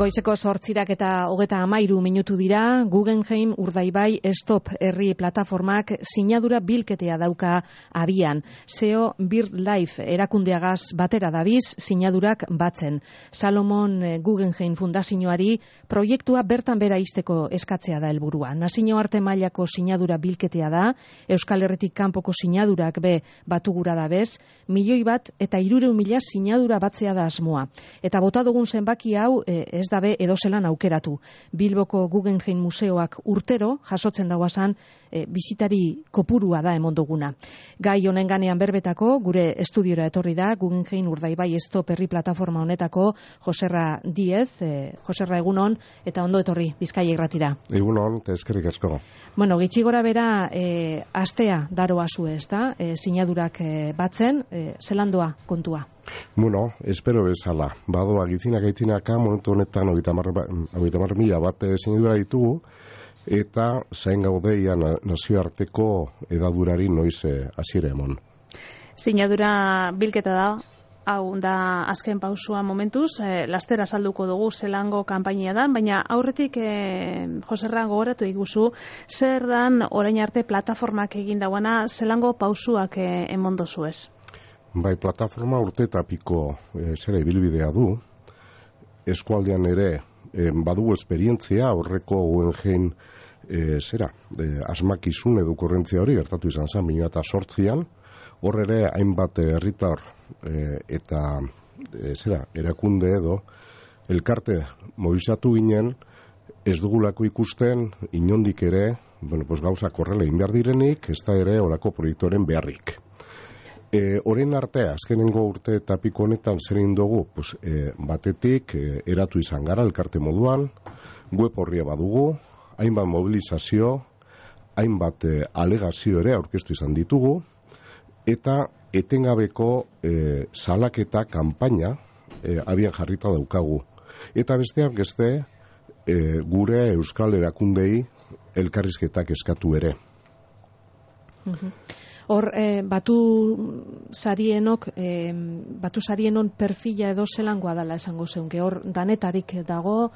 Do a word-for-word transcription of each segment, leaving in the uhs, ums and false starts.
Goizeko zortzirak eta hogeta amairu minutu dira, Guggenheim Urdaibai Stop herri plataformak sinadura bilketea dauka abian. S E O BirdLife erakundeagaz batera dabiz sinadurak batzen. Salomon Guggenheim Fundazioari proiektua bertan bera izteko eskatzea da helburua. Nazio arte mailako sinadura bilketea da, Euskal Herritik kanpoko sinadurak be batugura da bez, milioi bat eta hirurehun mila sinadura batzea da asmoa. Eta bota dugun zenbaki hau e, ez dabe edozelan aukeratu. Bilboko Guggenheim Museoak urtero jasotzen dauazan e, bizitari kopurua da emon duguna. Gai honen ganean berbetako, gure estudiora etorri da, Guggenheim Urdaibai Stop herri plataforma honetako Joserra Diez, e, Joserra egunon, eta ondo etorri Bizkaia irratira. Egunon, eta eskerrik asko. Bueno, gitxi gora bera, e, astea daroa zu ez da, e, sinadurak e, batzen, e, zelandoa kontua? Bueno, espero bezala. Badoa gitzinak aitzinaka, momentu honetan hogeita hamar mila bat sinadura ditugu, eta zain gaudeia nazioarteko edadurari noiz hasiera emon. Sinadura bilketa da, hau da azken pausua momentuz, e, lastera salduko dugu zelango kanpainia da, baina aurretik e, Joserra gogoratu iguzu, zer dan orain arte plataformak egin dauana zelango pausuak e, emon dozu ez? Bai, plataforma urte eta piko e, zera ibilbidea du, eskualdean ere e, badugu esperientzia horreko Guggenheim e, zera, e, asmakizun edo korrentzia hori gertatu izan zen, bina eta sortzian, hor ere hainbat herritar e, eta e, zera, erakunde edo elkarte mobilizatu ginen, ez dugulako ikusten inondik ere, bueno, pues gauzak horrela egin behar direnik, ez da ere olako proiektoren beharrik. E, Horen arte, azkenengo urte eta piko honetan zer egin dugu, pues, e, batetik e, eratu izan gara elkarte moduan, web horria badugu, hainbat mobilizazio, hainbat e, alegazio ere aurkeztu izan ditugu, eta etengabeko e, salaketa kanpaina e, abian jarrita daukagu. Eta besteak beste e, gure euskal erakundei elkarrizketak eskatu ere. Uh-huh. Hor, eh, batu sarienok, eh, batu sarienon perfila edo zelangoa dela esango zeunke, hor danetarik dago,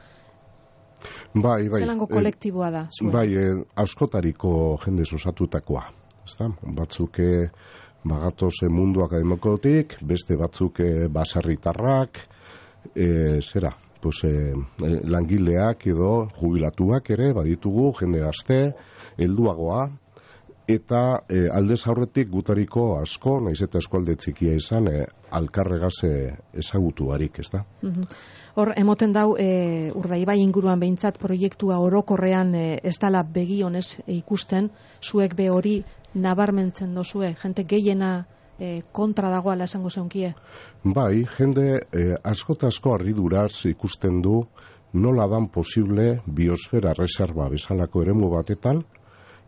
bai, bai, zelango kolektiboa da? Zuen. Bai, eh, askotariko jende osatutakoa. Batzuk bagatoz mundu akademikotik, beste batzuk baserritarrak, e, zera, pues, e, langileak edo jubilatuak ere, baditugu, jende gazte, helduagoa, eta e, aldez aurretik gutariko asko, naiz eta eskualde txikia izan, e, alkarregaz ezagutu barik, ez da? Uh-huh. Hor, emoten dau, e, Urdaibai inguruan behintzat proiektua orokorrean e, ez dala begionez e, ikusten, zuek be hori nabarmentzen dozue, jente gehiena e, kontra dagoala esango zeunkie? Bai, jende e, asko eta asko harriduraz ikusten du nola dan posible biosfera reserva bezalako eremu batetan,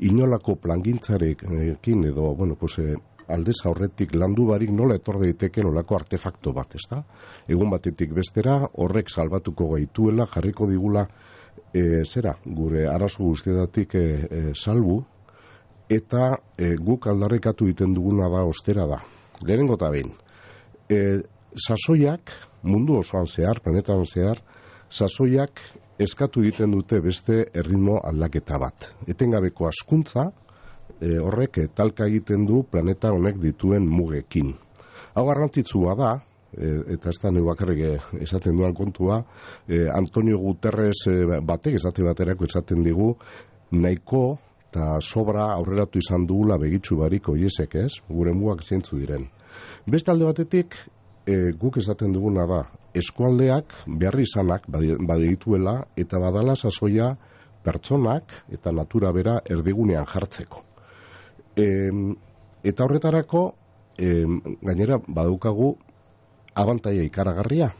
inolako plangintzarekin edo, bueno, pues, eh, aldez aurretik landu barik nola etor daiteke nolako artefakto bat, ez da? Egun batetik bestera, horrek salbatuko gaituela, jarriko digula, e, zera, gure arazo guztietatik e, e, salbu, eta e, guk aldarrekatu egiten duguna da, ostera da. Lehenengo eta behin, e, sasoiak, mundu osoan zehar, planetan zehar, sasoiak eskatu egiten dute beste erritmo aldaketa bat. Etengabeko hazkuntza e, horrek e, talka egiten du planeta honek dituen mugekin. Hau garrantzitsua da, e, eta ez da neu bakarrik esaten duan kontua, e, Antonio Guterres e, batek esate baterako esaten digu, nahiko eta sobra aurreratu izan dugula begitxu barik oiesek, ez? Gure mugak zeintzu diren. Beste alde batetik, E, guk esaten duguna da, eskualdeak beharri izanak badituela eta badala sasoia pertsonak eta natura bera erdigunean jartzeko. E, eta horretarako, e, gainera badaukagu abantaia ikaragarria.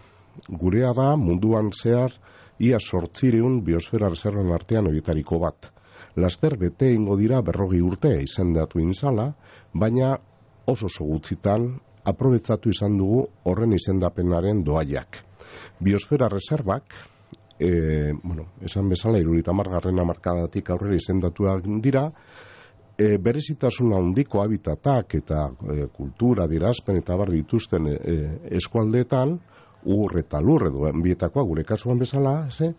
Gurea da munduan zehar ia sortzireun biosfera reservan artean horietariko bat. Laster bete ingo dira berrogi urte izendatu inzala, baina oso oso gutxitan aprobetsatu izan dugu horren izendapenaren doaiak. Biosfera reservak, e, bueno, esan bezala hirurogeita hamargarren hamarkadatik aurrera izendatuak dira, e, berezitasun handiko habitatak eta e, kultura, adierazpen eta bar dituzten e, eskualdeetan ur eta lur edo bietakoa gure kasuan bezala, ze?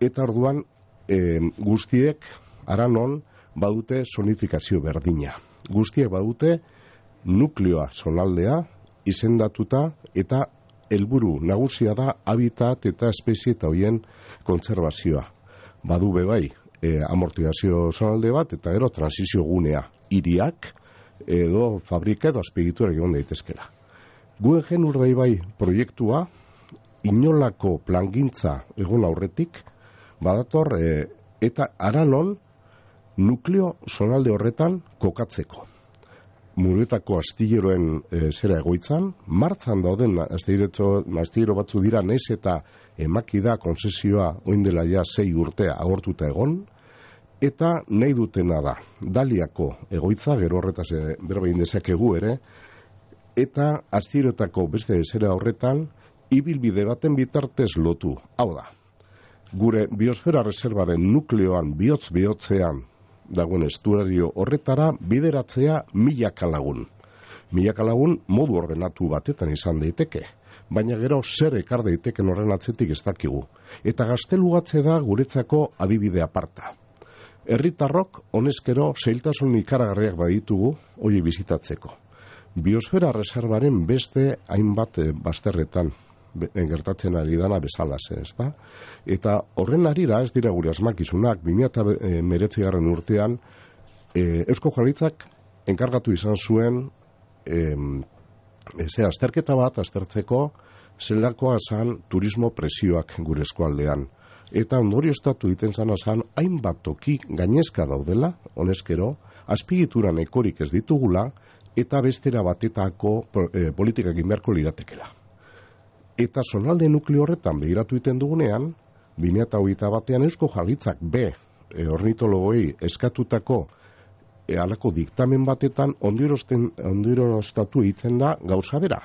Eta orduan e, guztiek aranon badute zonifikazio berdina. Guztiek badute nukleoa zonaldea izendatuta eta helburu nagusia da habitat eta espezie eta hoien kontserbazioa. Badu bebai e, amortizazio zonalde bat eta gero transizio gunea hiriak edo fabrika edo azpiegitura egon daitezkela. Guggenheim Urdaibai proiektua inolako plangintza egon aurretik badator e, eta aranon nukleo zonalde horretan kokatzeko. Muruetako astilleroen e, zera egoitzan, martzan dauden astillero batzu dira naiz eta emaki da konzesioa oindela ja sei urtea agortuta egon, eta nahi dutena da, Daliako egoitza, gero horretaz e, berbein dezakegu ere, eta astilleroetako beste zera horretan, ibilbide baten bitartez lotu. Hau da, gure biosfera reservaren nukleoan bihotz-bihotzean dagoen estuario horretara bideratzea milaka lagun. Milaka lagun modu ordenatu batetan izan daiteke, baina gero zer ekar daiteken horren atzetik ez dakigu. Eta gaztelugatze da guretzako adibide aparta. Herritarrok honezkero zailtasun ikaragarriak baditugu hori bizitatzeko. Biosfera reservaren beste hainbat bazterretan gertatzen ari dana bezala ze, ezta? Eta horren arira ez dira gure asmakizunak, bi mila hemeretzigarrena urtean e, Eusko Jaurlaritzak enkargatu izan zuen e, ze azterketa bat aztertzeko zelakoa zan turismo presioak gure eskualdean. Eta ondorioztatu egiten zana zan hainbat toki gainezka daudela, honezkero, azpigituran ekorik ez ditugula eta bestera batetako e, politikak inberko liratekela. Eta zonalde nukleo horretan behiratu iten dugunean, bi mila hogeita batean Eusko Jaurlaritzak B e, ornitologoi eskatutako e, alako diktamen batetan ondorioztatu egiten da gauza bera.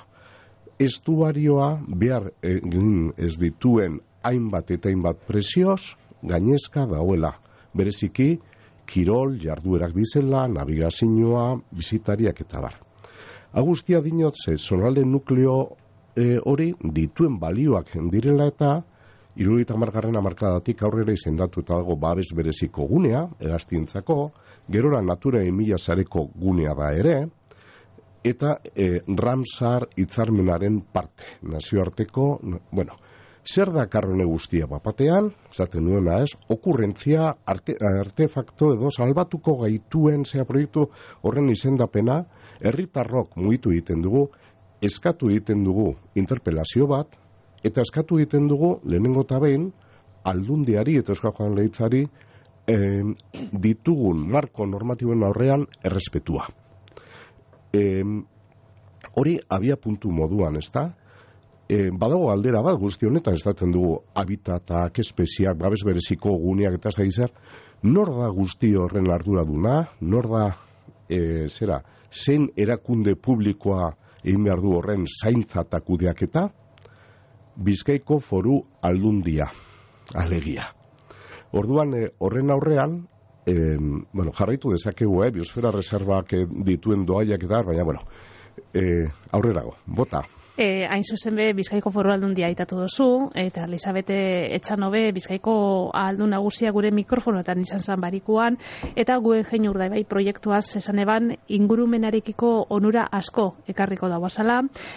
Estuarioa behar egin ez dituen hainbat eta hainbat presioz gainezka dauela. Bereziki, kirol, jarduerak dizela, navigazioa, bizitariak eta bar. Agustia dinot, ze zonalde nukleo E, hori dituen balioak direla eta hirurogeita hamargarren hamarkadatik aurrera izendatu eta dago babes bereziko gunea, hegaztientzako, gerora natura mila sareko gunea da ere, eta e, Ramsar hitzarmenaren parte, nazioarteko, bueno, zer da karrone guztia bapatean, zaten nuena ez, okurrentzia, arte, artefakto edo salbatuko gaituen zea proiektu horren izendapena, herritarrok mugitu egiten dugu, eskatu egiten dugu interpelazio bat, eta eskatu egiten dugu lehenengo eta behin aldundiari eta Euskal Jaurlaritzari eh, ditugun marko normatiboen aurrean errespetua. Eh, hori abia puntu moduan, ez da? Eh, badago aldera bat guzti honetan estaten dugu habitatak, espeziak, babes bereziko guneak eta ez da zer, nor da guzti horren arduraduna, nor da, eh, zera, zein erakunde publikoa egin behar du horren zaintza eta kudeaketa, Bizkaiko Foru Aldundia, alegia. Orduan, eh, horren aurrean, eh, bueno, jarraitu dezakegu, eh, biosfera reservak eh, dituen doaiak eta, baina, bueno, eh, aurrerago, bota. E, hain zuzen be, Bizkaiko Foru Aldundia aitatu duzu, eta Elizabete Etxanobe Bizkaiko aldun nagusia gure mikrofonoetan izan zan barikuan, eta Guggenheim Urdaibai proiektuaz esan eban ingurumenarekiko onura asko ekarriko da bazala.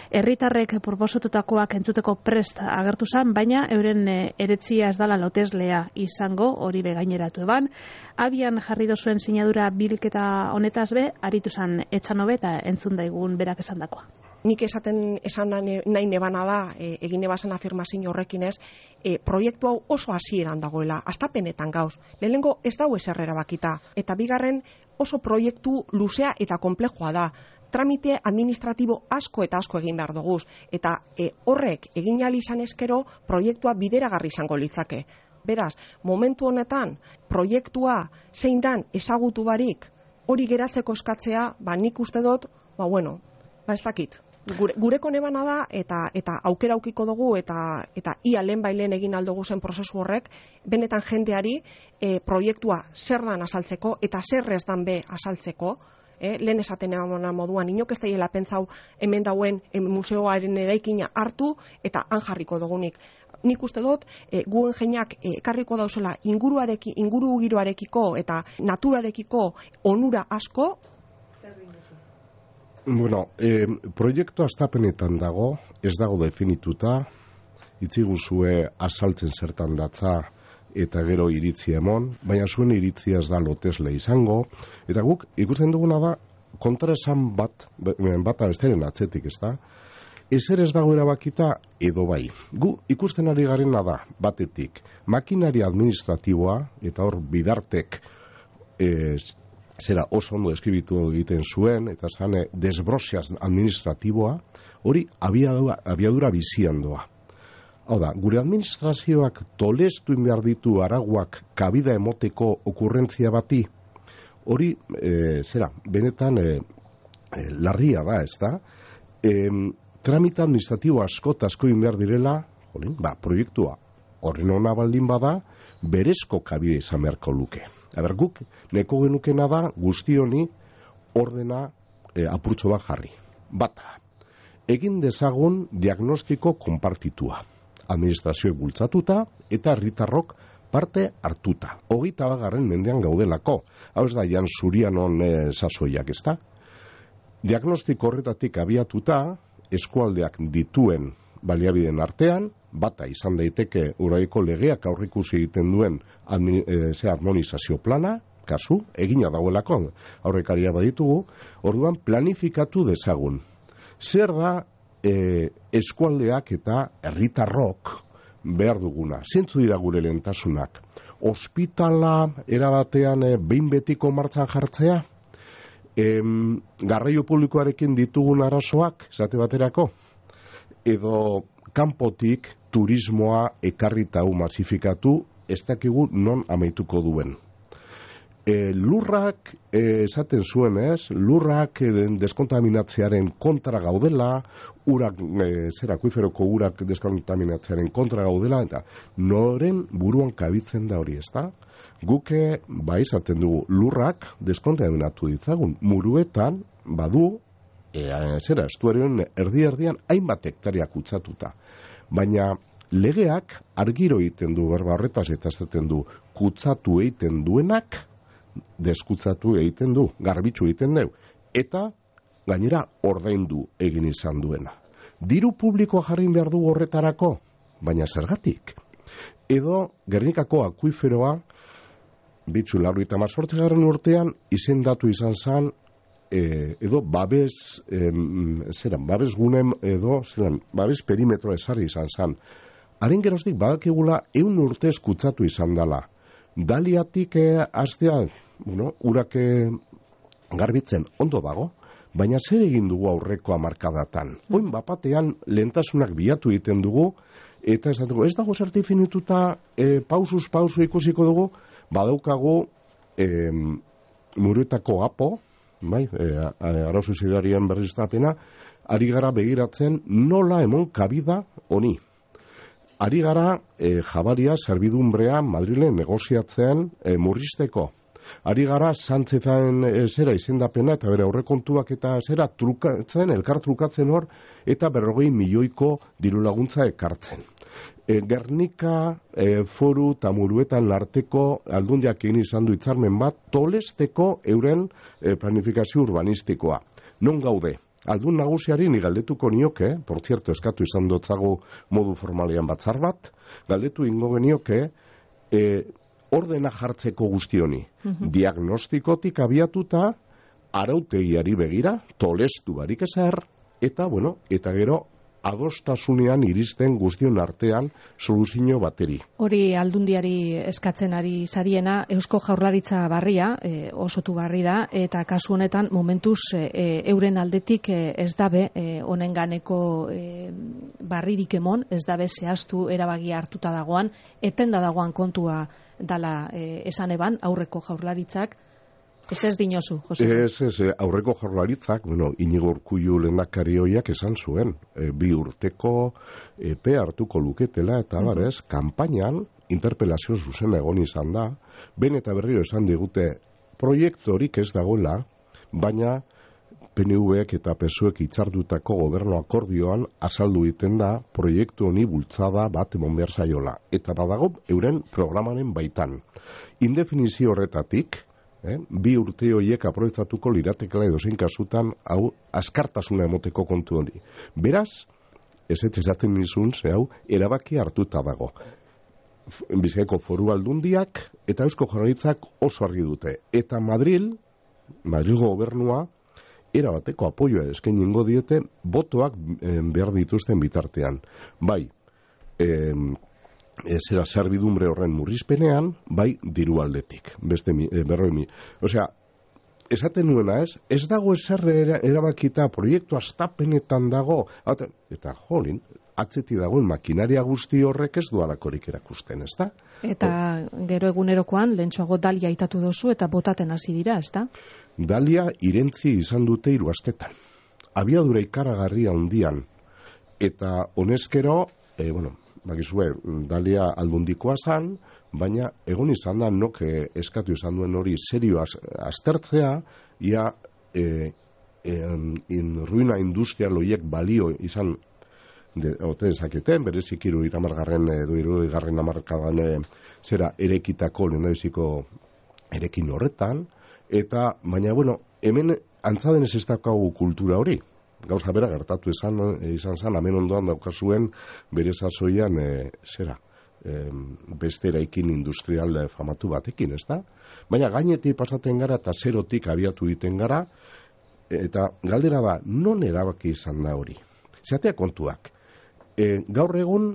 Herritarrek proposatutakoak entzuteko prest agertu zan, baina euren eretzia ez dala loteslea izango, hori be gaineratu eban. Abian jarri dozuen sinadura bilketa honetaz be, aritu zan Etxanobe eta entzun daigun berak esan dakoa. Nik esaten esan nahi nebana da, e, egin nebazan afirmazio horrekin ez, e, proiektu hau oso hasieran dagoela, astapenetan gauz. Lehenengo ez dago ezer erabakita, eta bigarren oso proiektu luzea eta konplexua da. Tramite administratibo asko eta asko egin behar duguz, eta e, horrek egin ahal izan eskero proiektua bideragarri izango litzake. Beraz, momentu honetan, proiektua zein dan ezagutu barik, hori geratzeko eskatzea, ba nik uste dut, ba bueno, ba ez dakit. Gure, gureko nebana da eta eta aukera aukiko dugu eta eta ia lehen bailen egin aldugu zen prozesu horrek benetan jendeari e, proiektua zer dan azaltzeko eta zer ez dan be azaltzeko eh? Lehen esaten eman moduan, inok ez daiela pentsau hemen dauen em, museoaren eraikina hartu eta han jarriko dugunik. Nik uste dut, e, Guggenheimak ekarriko dauzela inguruareki, inguru giroarekiko eta naturarekiko onura asko. Bueno, eh, proiektu astapenetan dago, ez dago definituta, itziguzue azaltzen zertan datza eta gero iritzi emon, baina zuen iritzia ez da lotesle izango, eta guk ikusten duguna da kontraesan bat, bata besteren atzetik, ez da? Ezer ez dago erabakita edo bai. Gu ikusten ari garena da, batetik, makinari administratiboa, eta hor bidartek eh, zera oso ondo eskribitu egiten zuen, eta zane desbrosiaz administratiboa, hori abiadura, abiadura bizian doa. Hau da, gure administrazioak tolestu behar ditu araguak kabida emoteko okurrentzia bati, hori, e, zera, benetan e, e, larria da, ez da? E, tramita administratibo asko eta asko behar direla, hori, ba, proiektua horren ona baldin bada, berezko kabide izan beharko luke. Aber, guk, neko genukena da, guzti honi ordena e, apurtxo bat jarri. Bata, egin dezagun diagnostiko konpartitua. Administrazioek bultzatuta eta herritarrok parte hartuta. Hogeita bagarren mendean gaudelako. Hau ez da, jan zurianon e, sasoiak, ez da? Diagnostiko horretatik abiatuta, eskualdeak dituen baliabideen artean, bata izan daiteke Uraiko legeak aurrikusi egiten duen e, ze harmonizazio plana, kasu, egina dagoelako, aurrekaria baditugu, orduan planifikatu dezagun. Zer da e, eskualdeak eta herritarrok behar duguna? Zentzu dira gure lehentasunak? Ospitala erabatean e, behin betiko martxan jartzea? E, garraio publikoarekin ditugun arazoak, esate baterako? Edo kanpotik turismoa ekarrita hau masifikatu, ez dakigu non amaituko duen. E, lurrak, e, esaten zuen ez, lurrak e, deskontaminatzearen kontra gaudela, urak, e, zer akuiferoko urak deskontaminatzearen kontra gaudela, eta noren buruan kabitzen da hori, ez da? Guke, ba, izaten dugu, lurrak deskontaminatu ditzagun, muruetan, badu, e, zera, estuarioen erdi-erdian hainbat hektariak kutsatuta. Baina legeak argiro egiten du, berba horretaz eta esaten du, kutsatu egiten duenak, deskutsatu egiten du, garbitzu egiten du, eta gainera ordaindu egin izan duena. Diru publikoa jarri behar du horretarako, baina zergatik? Edo Gernikako akuiferoa, bitzu laurogeita hemezortzigarren urtean izendatu izan zen, e, edo babes, e, zeran, babes gunem, edo zeran, babes perimetro ezarri izan zen. Haren geroztik badakigula ehun urtez kutsatu izan dela. Daliatik eh, astea, bueno, urak garbitzen ondo dago, baina zer egin dugu aurreko hamarkadatan. Oin bapatean lehentasunak bilatu egiten dugu, eta ez dago, ez dago zertifinituta e, pausuz pausu ikusiko dugu, badaukagu e, muruetako apo, bai, e, arauzu zidarien berriztapena, ari gara begiratzen nola emon kabida honi. Ari gara e, jabaria, serbidumbrea, Madrilen negoziatzen e, murrizteko. Ari gara Sánchezen e, zera izendapena eta bere aurrekontuak eta zera trukatzen, elkar trukatzen hor, eta berrogei milioiko diru laguntza ekartzen. E, Gernika e, foru eta muruetan larteko aldundiak egin izan du hitzarmen bat, tolesteko euren e, planifikazio urbanistikoa. Non gaude? Aldun nagusiari ni galdetuko nioke, por cierto, eskatu izan dotzago modu formalean batzar bat, galdetu ingo genioke, e, ordena jartzeko guzti honi. Uh-huh. Diagnostikotik abiatuta, arautegiari begira, tolestu barik ezer, eta, bueno, eta gero, adostasunean iristen guztion artean soluzio bateri. Hori aldundiari eskatzen ari zariena, Eusko Jaurlaritza barria, e, osotu barri da, eta kasu honetan momentuz e, euren aldetik e, ez dabe e, honen ganeko e, barririk emon, ez dabe zehaztu erabagia hartuta dagoan, etenda dagoan kontua dala e, esan eban aurreko Jaurlaritzak. Ez ez dinozu, Jose? Ez, ez, aurreko Jaurlaritzak, bueno, Inigo Urkullu lehendakari hoiak esan zuen, e, bi urteko epe hartuko luketela, eta uh-huh. barez, kanpainan interpelazio zuzen egon izan da, ben eta berriro esan digute, proiektu horik ez dagoela, baina P N Vek eta P S Oek hitzardutako gobernu akordioan azaldu egiten da proiektu honi bultzada bat emon behar zaiola. Eta badago euren programaren baitan. Indefinizio horretatik, eh, bi urte horiek aprobetxatuko liratekela edozein kasutan hau askartasuna emoteko kontu hori. Beraz, ez ez esaten nizun, ze hau, erabaki hartuta dago. Bizkaiko Foru Aldundiak eta Eusko Jaurlaritzak oso argi dute. Eta Madril, Madrilgo gobernua, erabateko apoioa eskainiko diete botoak eh, behar dituzten bitartean. Bai, eh, zera zerbidumbre horren murrizpenean, bai diru aldetik. Beste mi, eh, berroi mi. Osea, esaten nuena ez, ez dago ezer erabakita proiektu astapenetan dago, eta jolin, atzeti dagoen makinaria guzti horrek ez dualakorik erakusten, ez da? Eta gero egunerokoan, lehentxoago Dalia aitatu dozu eta botaten hasi dira, ez da? Dalia irentzi izan dute hiru astetan. Abiadura ikaragarria handian, eta honezkero, e, bueno, bakizue, Dalia aldundikoa zan, baina egon izan da nok eh, eskatu izan duen hori serio aztertzea, ia eh, en, in ruina industrial horiek balio izan de, ote dezaketen, berezik iru iramargarren edo iru igarren amarkadan e, zera erekitako lehendabiziko erekin horretan, eta baina bueno, hemen antzadenez ez daukagu kultura hori. Gauza bera gertatu izan, izan zan, hemen ondoan daukazuen bere sasoian e, zera, e, beste eraikin industrial famatu batekin, ez da? Baina gainetik pasaten gara eta zerotik abiatu egiten gara, eta galdera da, non erabaki izan da hori? Zatea kontuak. E, gaur egun,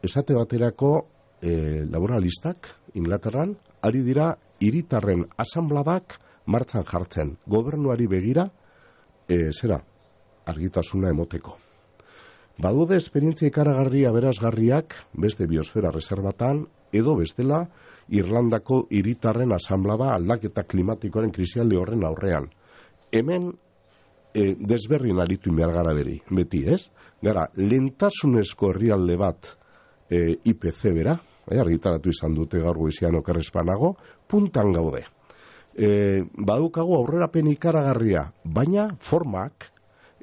esate baterako e, laboralistak, Inglaterran, ari dira hiritarren asanbladak martxan jartzen. Gobernuari begira, e, zera, argitasuna emoteko. Badude esperientzia ikaragarria berazgarriak beste biosfera reservatan edo bestela Irlandako hiritarren asanblada aldaketa klimatikoaren krisialdi horren aurrean. Hemen e, desberrin aritu behar gara beri, beti, ez? Gara, lentasunezko herrialde bat e, I P C bera, e, argitaratu izan dute gaur goizian okerrespanago, puntan gaude. E, badukagu aurrerapen ikaragarria, baina formak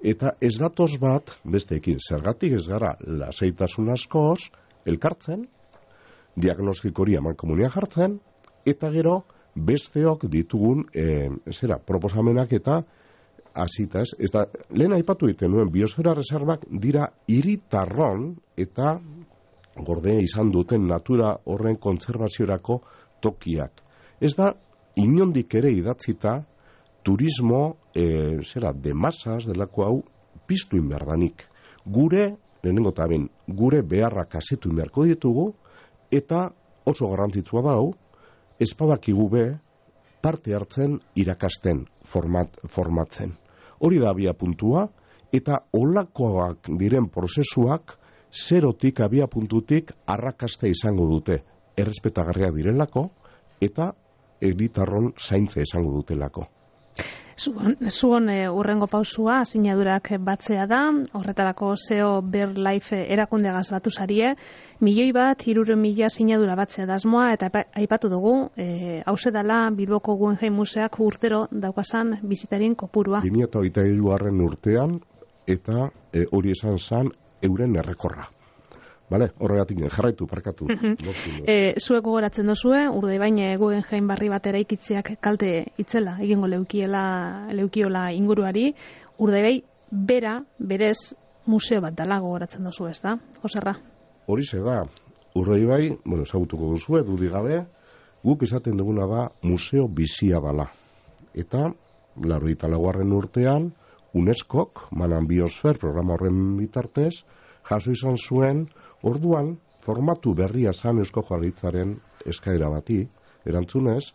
eta ez datoz bat besteekin. Zergatik ez gara lasaitasun askoz elkartzen, diagnostiko hori amankomunia jartzen, eta gero besteok ditugun e, zera, proposamenak eta hasita ez. Ez da, lehen aipatu egiten nuen, biosfera reservak dira hiritarron eta gorde izan duten natura horren kontserbaziorako tokiak. Ez da, inondik ere idatzita turismo, e, zera, de masas, delako hau, piztu inberdanik. Gure, lehenengo eta ben, gure beharrak asetu inberko ditugu, eta oso garrantzitsua da hau, espadakigu be, parte hartzen irakasten, format, formatzen. Hori da abia puntua, eta olakoak diren prozesuak, zerotik abia puntutik arrakasta izango dute. Errespetagarria direlako, eta herritarron zaintza izango dutelako. Zuon, zuon e, urrengo pausua, sinadurak batzea da, horretarako S E O BirdLife erakundeagaz batu zarie, milioi bat, hirurehun mila sinadura batzea dasmoa, eta aipatu dugu, e, hause dela Bilboko Guggenheim Museak urtero daukazan bizitarin kopurua. bi mila hogeita hirugarren urtean, eta e, hori esan zan euren errekorra. Bale, horregatik jarraitu, parkatu. e, zuek gogoratzen dozue, Urdaibain Guggenheim barri bat eraikitzeak kalte itzela, egingo leukiela, leukiola inguruari, Urdaibai bera, berez, museo bat dala gogoratzen dozu, ez da? Joserra? Hori ze da, Urdaibai, bueno, ezagutuko duzue, dudik gabe, guk esaten duguna da museo bizia dala. Eta, laurogeita laugarren urtean, UNESCOk, Manan Biosfer programa horren bitartez, jaso izan zuen, orduan, formatu berria zan Eusko Jaurlaritzaren eskaera bati, erantzunez,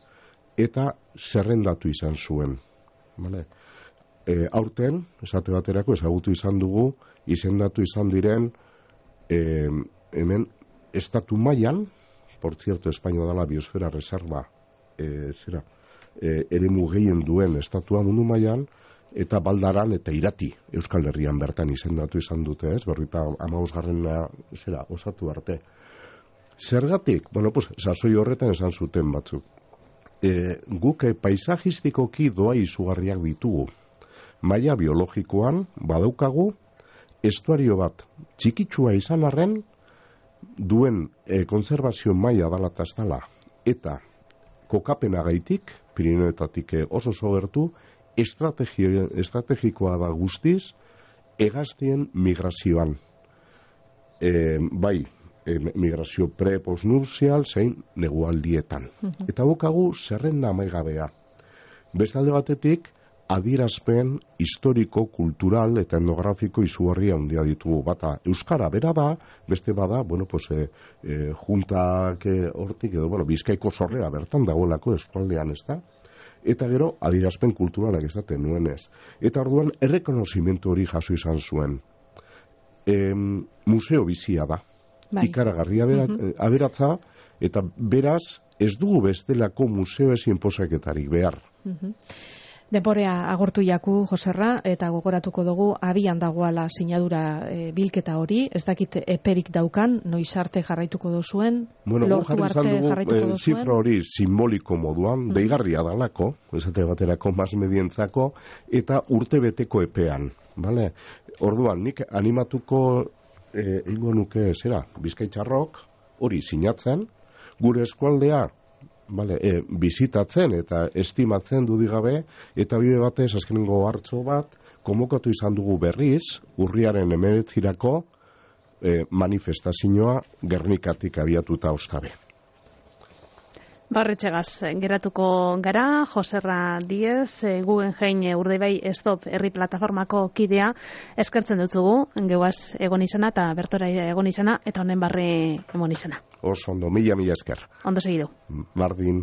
eta zerrendatu izan zuen. Vale? E, aurten, esate baterako, ezagutu izan dugu, izendatu izan diren, e, hemen, estatu mailan, por cierto, Espainua dela biosfera reserva, e, zera, e, eremu gehien duen estatua mundu mailan, eta Baldaran eta Irati Euskal Herrian bertan izendatu izan dute, ez? Berrita hamabosgarrena zera osatu arte. Zergatik, bueno, pues sasoi horretan esan zuten batzuk. e, guk e, paisajistikoki doa izugarriak ditugu. Maila biologikoan badaukagu estuario bat txikitsua izan arren duen e, konservazio maila dala eta ez dala. Eta kokapenagaitik, Pirinioetatik e, oso sogertu, estrategikoa da guztiz hegaztien migrazioan. E, bai, e, migrazio pre-postnupzial zein negualdietan. Uh-huh. Eta bukagu zerrenda amaigabea. Bestalde batetik, adierazpen historiko, kultural eta etnografiko izugarria handia ditugu. Bata, euskara bera da, beste bada, bueno, pues, e, e, juntak e, hortik, edo, bueno, Bizkaiko sorrera bertan dagoelako eskualdean, ez da? Eta gero, adierazpen kulturalak ez daten nuenez. Eta orduan, errekonozimentu hori jaso izan zuen. E, museo bizia da. Bai. Ikaragarria bera, uh-huh. aberatza, eta beraz, ez dugu bestelako museo ezin posaketarik behar. Uh-huh. Denborea agortu jaku, Joserra, eta gogoratuko dugu abian dagoala sinadura e, bilketa hori, ez dakit eperik daukan, noiz arte jarraituko duzuen, bueno, lortu arte dugu, jarraituko e, duzuen. Zifra hori simboliko moduan, mm. deigarria dalako, esate baterako masmedientzako, eta urtebeteko epean. Vale? Orduan, nik animatuko e, ingo nuke zera, Bizkaitxarrok, hori sinatzen, gure eskualdea, Vale, e, bizitatzen eta estimatzen dudigabe, eta bide batez azkenengo hartzo bat, konbokatu izan dugu berriz, urriaren hemeretzirako e, manifestazioa Gernikatik abiatuta ostabe. Barretxegaz, geratuko gara, Joserra Diez, Guggenheim Urdaibai Stop herri plataformako kidea, eskertzen dutzugu, geuaz egon izana eta bertora egon izana, eta honen barre egon izana. Oso ondo, mila mila esker. Ondo segidu. Bardin.